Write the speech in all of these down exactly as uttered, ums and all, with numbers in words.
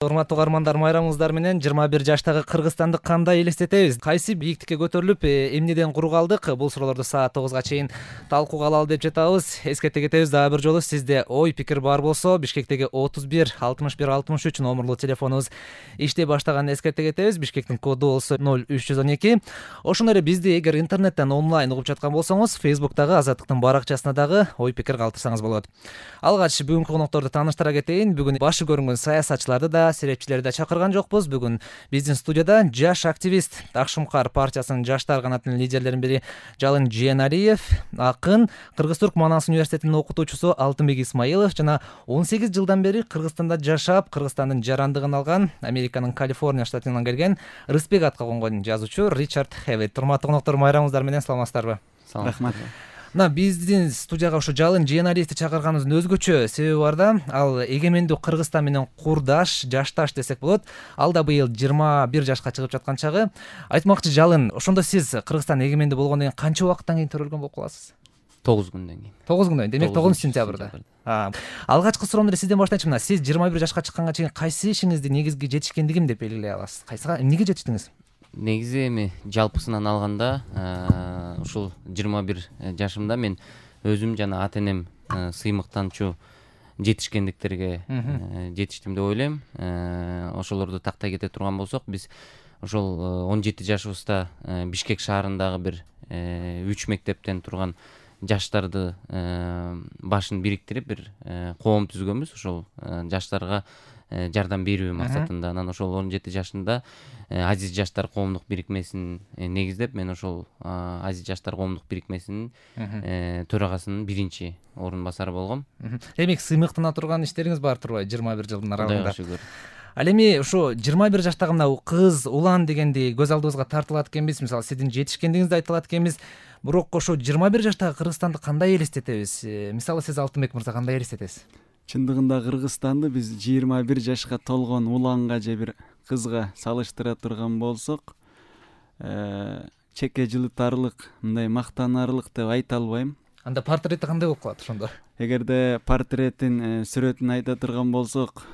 Урматтуу угармандар, майрамыңыздар менен жыйырма бир жаштагы Кыргызстанды кандай элестетебиз? Кайсы бийиктикке көтөрүлүп, эмнеден куру калдык? Бул суроолорду саат тогузга чейин талкууга алалы деп жатабыз. Эскерте кетебиз, дагы бир жолу сизде ой пикир бар болсо, Бишкектеги отуз бир алтымыш бир алтымыш үч номерлуу телефонубуз иштей баштаганын эскерте кетебиз. Бишкектин коду болсо ноль үч жүз он эки. Ошондой эле бизди эгер интернеттен онлайн угуп жаткан болсоңуз, Facebook'тагы Азаттыктын баракчасына дагы ой пикир калтырсаңыз болот. Алгач бүгүнкү конокторду тааныштыра кетейин. Бүгүн башы көрүнгөн саясатчыларды да, серепчилерди да чакырган жокпуз. Бүгүн биздин студияда жаш активист, Акшумкар партиясынын жаштар канатынын лидерлеринин бири Жалын Жээналиев, акын, Кыргыз-Түрк Манас университетинин окутуучусу Алтынбек Исмаилов жана он сегиз жылдан бери Кыргызстанда жашап, Кыргызстандын жарандыгын алган, Американын Калифорния штатынан келген Рыспек атка конгон жазуучу Ричард Хевит. Урматтуу коноктор, майрамыңыздар менен саламатсыздарбы? Рахмат. Мына биздин студияга ушу Жалын Жээналиевди чакырганыбыздын өзгөчө себеби бар да, ал эгемендүү Кыргызстан менен курдаш, жашташ десек болот. Ал да быйыл жыйырма бир жашка чыгып жаткан чагы. Айтмакчы, Жалын, ошондо сиз Кыргызстан эгемендүү болгондон кийин канча убакыттан кийин төрөлгөн болуп каласыз? тогуз күндөн кийин. тогуз күндөн кийин. Демек тогузунчу сентябрда. Алгачкы суроомду эле сизден баштайчы. Мына сиз жыйырма бир жашка чыкканга чейин кайсы ишиңизди негизги жетишкендигим деп белгилей аласыз? Кайсыга, эмнеге жетиштиңиз? Негизи эми жалпысынан алганда, ушул жыйырма бир жашымда мен өзүм жана ата энем сыймыктанчу жетишкендиктерге жетиштим деп ойлойм. Ошолорду тактай кете турган болсок, биз ошол он жети жашыбызда Бишкек шаарындагы бир үч мектептен турган жаштарды башын бириктирип бир коом түзгөнбүз. Ошол жаштарга жардам берүү максатында. Анан ошол он жети жашында Азиз жаштар коомдук бирикмесин негиздеп, мен ошол Азиз жаштар коомдук бирикмесинин төрагасынын биринчи орун басары болгом. Демек сыймыктана турган иштериңиз бар турбайбы жыйырма бир жылдын аралыгында? Кудайга шүгүр. Ал эми ушу жыйырма бир жаштагы мына кыз, улан дегенди көз алдыбызга тартылат экенбиз. Мисалы, сиздин жетишкендигиңизди айтылат экенбиз. Бирок ошо жыйырма бир жаштагы Кыргызстанды кандай элестетебиз? Мисалы, сиз Алтынбек мырза кандай элестетесиз? Чындыгында Кыргызстанды биз жыйырма бир жашка толгон уланга же бир кызга салыштыра турган болсок, чеке жылытарлык, мындай мактанарлык деп айта албайм. Анда портрети кандай болуп калат ошондо? Эгерде портреттин сүрөтүн айта турган болсок,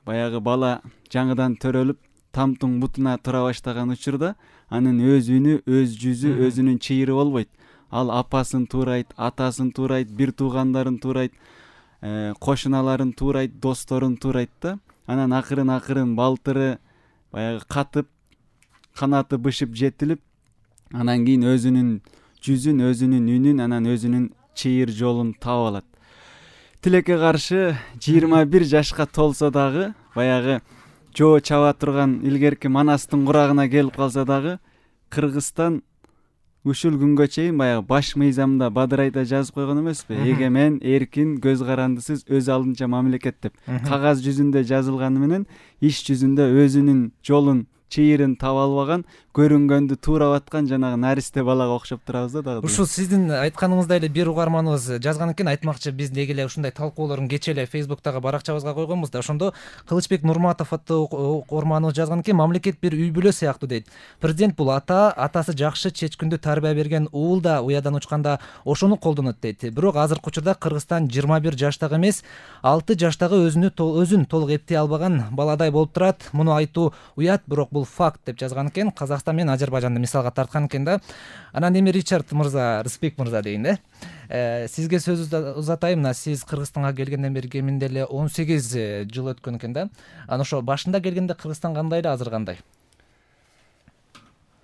баягы бала жаңыдан төрөлүп, тамтың бутуна тура баштаган учурда анын өз үнү, өз жүзү, өзүнүн чыйыры болбойт. Ал апасын туурайт, атасын туурайт, бир туугандарын туурайт, кошуналарын туурайт, досторун туурайт да. Анан акырын акырын балтыры баягы катып, канаты бышып жетилип, анан кийин өзүнүн жүзүн, өзүнүн үнүн, анан өзүнүн чыйыр жолун таап алат. Тилекке каршы жыйырма бир жашка толсо дагы, баягы жоо чаба турган илгерки Манастын курагына келип калса дагы, Кыргызстан ушул күнгө чейин баягы баш мыйзамда бадырайда жазып койгон эмеспи? Эгемен, эркин, көз карандысыз, өз алдынча мамлекет деп. Кагаз жүзүндө жазылганы менен иш жүзүндө өзүнүн жолун, чыйырын таба албаган, көрүнгөндү туурап аткан жанагы наристе балага окшоп турабыз да дагы. Ушул сиздин айтканыңыздай эле бир угарманыбыз жазган экен. Айтмакчы, биз деги эле ушундай талкуулорун кечээ эле Facebook'тагы баракчабызга койгонбуз да. Ошондо Кылычбек Нурматов аттуу угарманыбыз жазган экен. Мамлекет бир үй бүлө сыяктуу дейт. Президент бул ата, атасы жакшы чечкүндү тарбия берген уул да уядан учканда ошону колдонот дейт. Бирок азыркы учурда Кыргызстан жыйырма бир жаштагы эмес, алты жаштагы өзүнү өзүн толук эптей албаган баладай болуп турат. Муну айтуу уят, бирок бул факт деп жазган экен. Казакстан менен Азербайжанды мисалга тарткан экен да. Анан эми Ричард мырза, Рыспек мырза дейин да. Сизге сөз узатайм. Мына сиз Кыргызстанга келгенден бери кеминде эле он сегиз жыл өткөн экен да. Анан ошо башында келгенде Кыргызстан кандай эле, азыр кандай?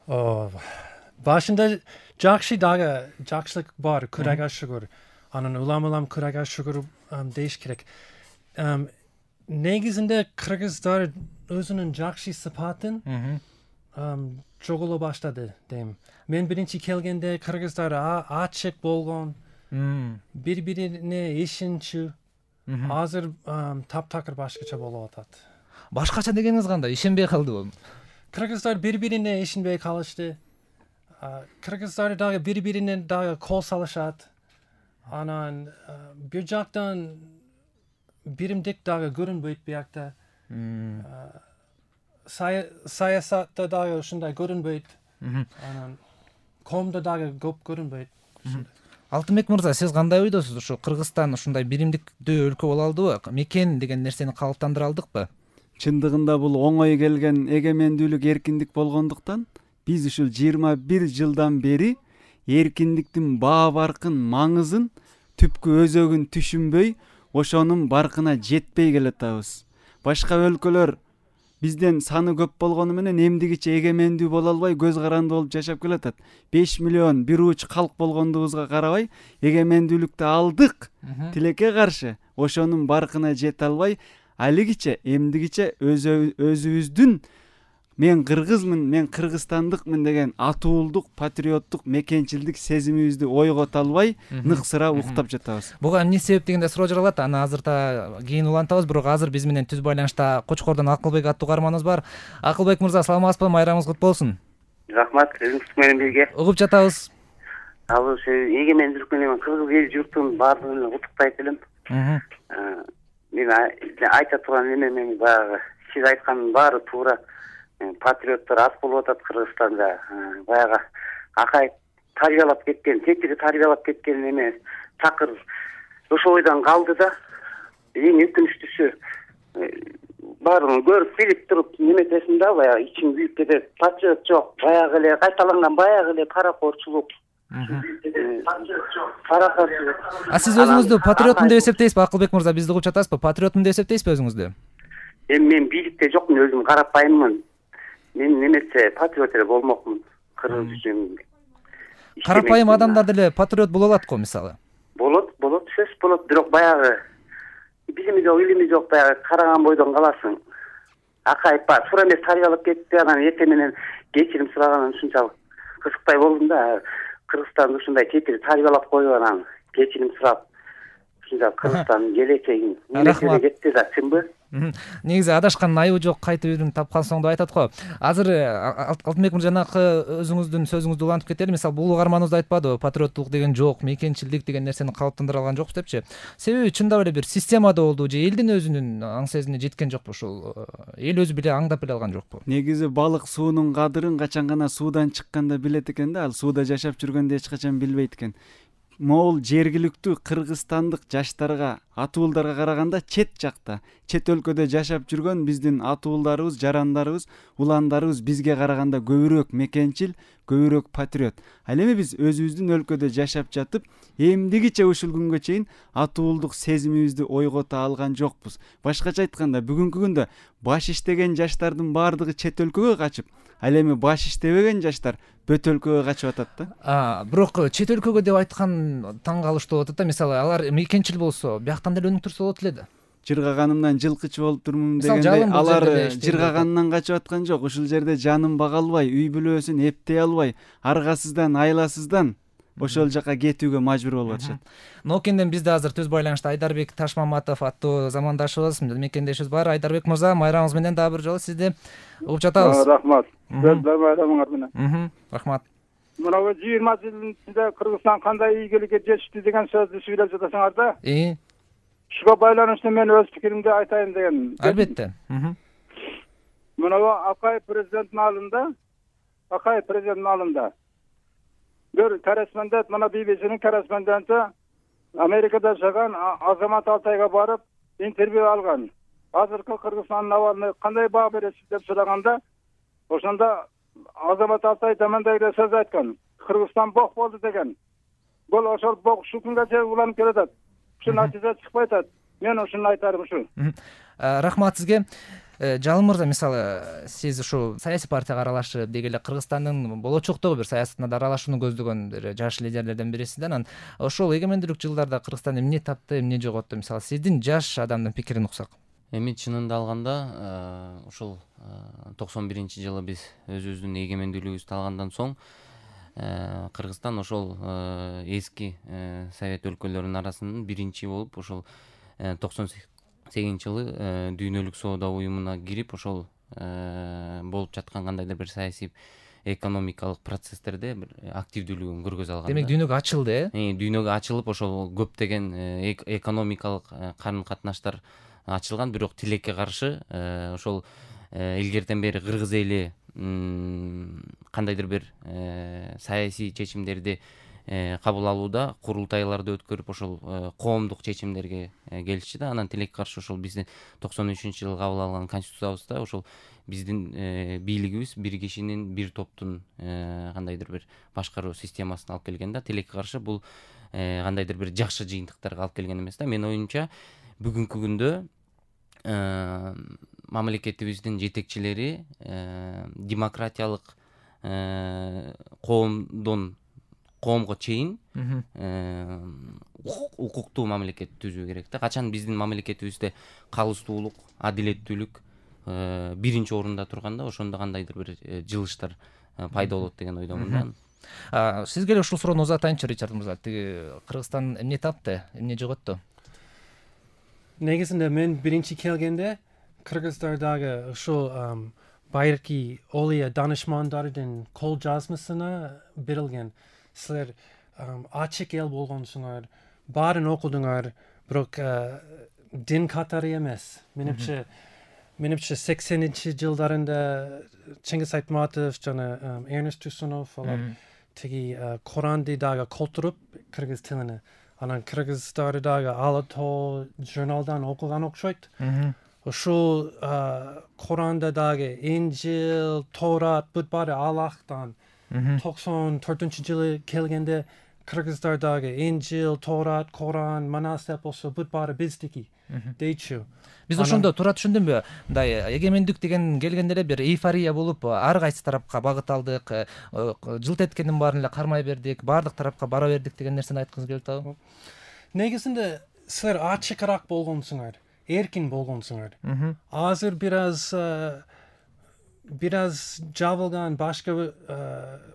Башында жакшы, дагы жакшылык бар, Кудайга шүгүр. Анан улам-улам Кудайга шүгүр дейиш керек. Негизинде кыргыздар өзүнүн жакшы сыпатын жоголо баштады дейм. Мен биринчи келгенде кыргыздар ачык болгон, бири-бирине ишенчү. Азыр таптакыр башкача болуп атат. Башкача дегениңиз кандай? Ишенбей калдыбы? Кыргыздар бири-бирине ишенбей калышты. Кыргыздар дагы бири-бирине дагы кол салышат. Анан бир жактан биримдик дагы көрүнбөйт биякта. Саясатта дагы ушундай көрүнбөйт. Анан коомдо дагы көп көрүнбөйт. Алтынбек мырза, сиз кандай ойдосуз? Ушу Кыргызстан ушундай биримдиктүү өлкө боло алдыбы? Мекен деген нерсени калыптандыра алдыкпы? чындыгында бул оңой келген эгемендүүлүк эркиндик болгондуктан биз ушул жыйырма бир жылдан бери эркиндиктин баа баркын маңызын түпкү өзөгүн түшүнбөй ошонун баркына жетпей келатабыз. Башка өлкөлөр бизден саны көп болгону менен эмдигиче эгемендүү боло албай көз каранды болуп жашап келатат. беш миллион бир уч калк болгондугубузга карабай эгемендүүлүктү алдык, тилекке каршы ошонун баркына жете албай алигиче эмдигиче өзүбүздүн мен кыргызмын, мен кыргызстандыкмын деген атуулдук, патриоттук, мекенчилдик сезимибизди ойгото албай ныксыра уктап жатабыз. Буга эмне себеп дегенде суроо жаралат. Аны азырта кийин улантабыз, бирок азыр биз менен түз байланышта Кочкордон Акылбек аттуу каарманыбыз бар. Акылбек мырза, саламатсызбы? Майрамыңыз кут болсун. Рахмат, өзүңүз менен бирге. Угуп жатабыз. Ал ошо эгемендүүлүк менен кыргыз эл журтун баардыгын куттуктайт элем. Мен айта турган эмем баягы сиз айткандын баары туура. Патриоттор аз болуп атат Кыргызстанда. Баягы акай тарбиялап кеткен, тетиги тарбиялап кеткен эме такыр ошол ойдон калды да. Эң өкүнүчтүүсү баарын көрүп билип туруп неметесин да, баягы ичиң күйүп кетет. Патриот жок, баягы эле кайталанган баягы эле паракорчулук. Паракорчулук. А сиз өзүңүздү патриотмун деп эсептейсизби, Акылбек мырза? Бизди угуп жатасызбы? Патриотмун деп эсептейсизби өзүңүздү? Эми мен бийликте жокмун, өзүм карапайыммын. Мен неметсе патриот эле болмокмун. Кыргыз үчүн. Карапайым адамдар деле патриот боло алат го, мисалы. Болот, болот, сөз болот, бирок баягы билими жок, илими жок, баягы караган бойдон каласың. Акайып ба, туура эмес тарбиялап кетти, анан эртең менен кечирим сураганын ушунчалык кызыктай болдум да. Кыргызстанды ушундай тетиги тарбиялап коюп анан кечирим сурап, ушунчалык Кыргызстандын келечегин неметине кетти да, чынбы? Негизи адашкандын айыбы жок, кайтып үйрүнүп тапкан соң деп айтат го. Азыр Алтынбек мырза жанакы өзүңүздүн сөзүңүздү улантып кетели. Мисалы, бул каарманыбыз айтпадыбы, патриоттук деген жок, мекенчилдик деген нерсени калыптандыра алган жокпуз депчи. Себеби чындап эле бир системада болду же элдин өзүнүн аң сезимине жеткен жокпу ушул? Эл өзү биле аңдап эле алган жокпу? Негизи балык суунун кадырын качан гана суудан чыкканда билет экен да, ал сууда жашап жүргөндө эч качан билбейт экен. Могул жергиликтүү кыргызстандык жаштарга, атуулдарга караганда чет жакта, чет өлкөдө жашап жүргөн биздин атуулдарыбыз, жарандарыбыз, уландарыбыз бизге караганда көбүрөөк мекенчил, көбүрөөк патриот. Ал эми биз өзүбүздүн өлкөдө жашап жатып, эмдигиче ушул күнгө чейин атуулдук сезимибизди ойгото алган жокпуз. Башкача айтканда, бүгүнкү күндө баш иштеген жаштардын баардыгы чет өлкөгө качып, ал эми баш иштебеген жаштар бөт өлкөгө качып атат да. А, бирок чет өлкөгө деп айткан таң калыштуу болуп атат да. Мисалы, алар мекенчил болсо, бияктан деле өнүктүрсө болот эле да. Жыргаганымдан жылкычы болуп турмун дегендей, алар жыргагандан качып аткан жок. Ушул жерде жанын бага албай, үй бүлөсүн эптей албай, аргасыздан, айласыздан ошол жака кетүүгө мажбур болуп атышат. Ноокенден бизде азыр түз байланышта Айдарбек Ташмаматов аттуу замандашыбыз, мекендешибиз бар. Айдарбек мырза, майрамыңыз менен дагы бир жолу сизди угуп жатабыз. Рахмат. Майрамыңар менен. Рахмат. Мына жыйырма жылдын ичинде Кыргызстан кандай ийгиликке жетишти деген сөздү сүйлөп жатасыңар да. Ии. Ушуга байланыштуу мен өз пикиримди айтайын деген. Албетте. Мына Акай президенттин алдында, Акай президенттин алдында бир корреспондент, мына би би синин корреспонденти Америкада жашаган Азамат Алтайга барып интервью алган. Азыркы Кыргызстандын абалына кандай баа бересиз деп сураганда, ошондо Азамат Алтай тамандай эле сөз айткан. Кыргызстан бок болду деген. Бул ошол бок ушул күнгө чейин уланып келатат. Ушул натыйжа чыкпай атат. Мен ушуну айтарым ушул. Рахмат сизге. Жалым мырза, мисалы, сиз ушу саясий партияга аралашып, деги эле Кыргызстандын болочоктогу бир саясатына да аралашууну көздөгөн бир жаш лидерлерден бирисиз да. Анан ошол эгемендүүлүк жылдарда Кыргызстан эмне тапты, эмне жоготту? Мисалы, сиздин жаш адамдын пикирин уксак. Эми чынында алганда, ушул токсон биринчи жылы биз өзүбүздүн эгемендүүлүгүбүздү алгандан соң Кыргызстан ошол эски совет өлкөлөрүнүн арасынан биринчи болуп, ошол токсон сегизинчи жылы дүйнөлүк соода уюмуна кирип, ошол болуп жаткан кандайдыр бир саясий экономикалык процесстерде бир активдүүлүгүн көргөзө алган. Демек дүйнөгө ачылды, э? Дүйнөгө ачылып, ошол көптөгөн экономикалык карым катнаштар ачылган, бирок тилекке каршы ошол илгертен бери кыргыз эли кандайдыр бир саясий чечимдерди кабыл алууда курултайларды өткөрүп ошол коомдук чечимдерге келишти да. Анан тилекке каршы ошол биздин токсон үчүнчү жылы кабыл алган конституциябызда ошол биздин бийлигибиз бир кишинин бир топтун кандайдыр бир башкаруу системасына алып келген да. Тилекке каршы бул кандайдыр бир жакшы жыйынтыктарга алып келген эмес да. Менин оюмча бүгүнкү күндө мамлекетибиздин жетекчилери демократиялык коомдон коомго чейин укуктуу мамлекет түзүү керек да. Качан биздин мамлекетибизде калыстуулук, адилеттүүлүк биринчи орунда турганда, ошондо кандайдыр бир жылыштар пайда болот деген ойдомун да. Сизге эле ушул суроону узатайынчы, Ричард мырза. Тиги Кыргызстан эмне тапты, эмне жоготту? Негизинде мен биринчи келгенде Кыргыздардагы ушул байыркы Олия данышмандардын кол жазмасына берилген. Силер ачык эл болгонсуңар, баарын окудуңар, бирок дин катары эмес. Менимче менимче сексенинчи жылдарында Чыңгыз Айтматов жана Эрнест Турсунов алар тиги Коранды дагы колтуруп кыргыз тилине, анан кыргыздары дагы Ала Тоо журналдан окуган окшойт. Ушул Коранда дагы Инжил, Торат бут баары Аллахтан. токсон төртүнчү жылы келгенде кыргыздар дагы Инжил, Торат, Коран, Манас деп болсо бут баары биздики дейчү. Биз ошондо туура түшүндүмбү? Мындай эгемендик деген келгенде эле бир эйфория болуп, ар кайсы тарапка багыт алдык, жылт эткендин баарын эле кармай бердик, баардык тарапка бара бердик деген нерсени айткыңыз келип атабы? Негизинде силер ачыкыраак болгонсуңар, эркин болгонсуңар. Азыр бир аз бир аз жабылган башка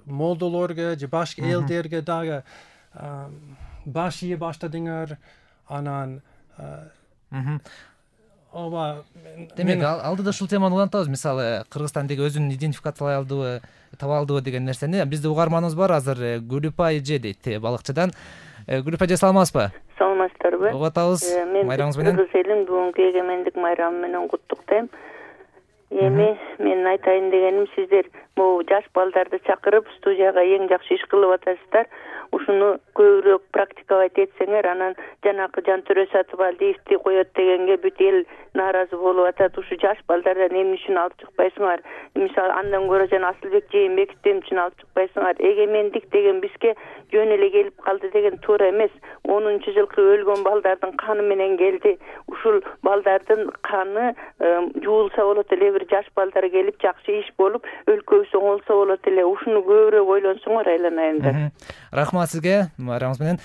молдолорго же башка элдерге дагы баш ийе баштадыңар, анан ооба. Демек алдыда ушул теманы улантабыз. Мисалы, Кыргызстан деги өзүн идентификациялай алдыбы, таба алдыбы деген нерсени. Бизде угарманыбыз бар азыр, Гүлүпай эже дейт, балыкчыдан. Гүлүпай эже, саламатсызбы? Саламатсыздарбы? Угуп атабыз майрамыңыз менен. Кыргыз элин бүгүнкү эгемендик майрамы менен куттуктайм. Эми мен айтайын дегеним, сиздер могу жаш балдарды чакырып студияга эң жакшы иш кылып атасыздар. Ушуну көбүрөөк практиковать этсеңер, анан жанакы Жантөрө Сатыбалдиевди коет дегенге бүт эл нааразы болуп атат. Ушу жаш балдардан эмне үчүн алып чыкпайсыңар? Мисалы, андан көрө жана Асылбек Жээнбековди эмне үчүн алып чыкпайсыңар? Эгемендик деген бизге жөн эле келип калды деген туура эмес. онунчу жылкы өлгөн балдардын каны менен келди. Ушул балдардын каны жуулса болот эле, бир жаш балдар келип жакшы иш болуп, өлкөбүз оңолсо болот эле. Ушуну көбүрөөк ойлонсоңор айланайындар. Рахмат сизге, майрамыңыз менен.